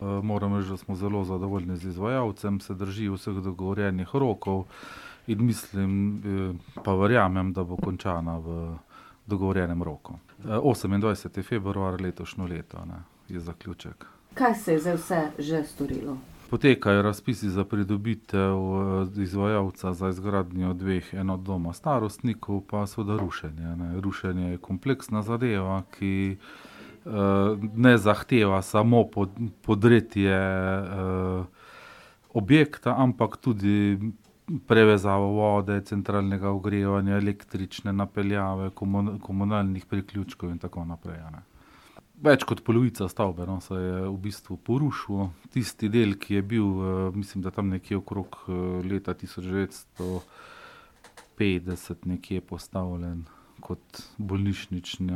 Moram reči, da smo zelo zadovoljni z izvajalcem, se drži vseh dogovorjenih rokov in mislim, pa verjamem, da bo končana v dogovorjenem roku. 28. februar letošnje leto, je zaključek. Kaj se je zdaj vse že storilo? Potekajo razpisi za pridobitev izvajalca za izgradnjo 2 enot doma starostnikov, pa seveda rušenje. Rušenje je kompleksna zadeva, ki ne zahteva samo podretje objekta, ampak tudi prevezavo vode, centralnega ogrevanja, električne napeljave, komunalnih priključkov in tako naprej. Več kot polovica stavbe se je v bistvu porušil. Tisti del, ki je bil, mislim, da tam nekje okrog leta 1950 nekje postavljen kot bolnišnični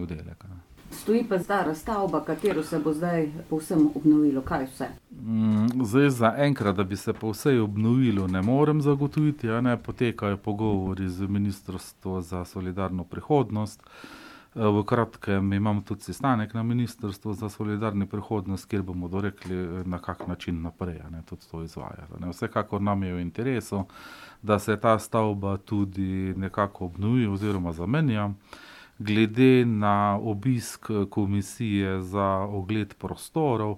oddelek. Stoji pa stara stavba, katero se bo zdaj povsem obnovilo. Kaj vse? Zdaj zaenkrat, da bi se povsem obnovilo, ne morem zagotoviti. Potekajo pogovori z Ministrstvom za solidarno prihodnost. V kratkem imam tudi sestanek na Ministrstvu za solidarno prihodnost, kjer bomo dorekli, na kak način naprej tudi to izvajati. Vsekakor nam je v interesu, da se ta stavba tudi nekako obnovi oziroma zamenja. Glede na obisk komisije za ogled prostorov,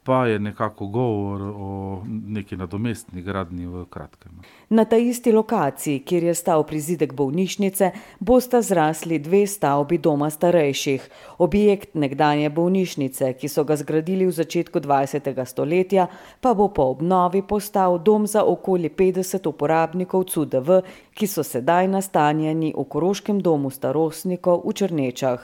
pa je nekako govor o neki nadomestni gradnji v kratkem. Na ta isti lokaciji, kjer je stal prizidek bolnišnice, bosta zrasli 2 stavbi doma starejših. Objekt nekdanje bolnišnice, ki so ga zgradili v začetku 20. stoletja, pa bo po obnovi postal dom za okoli 50 uporabnikov CUDV, ki so sedaj nastanjeni v Koroškem domu starostnikov v Črnečah.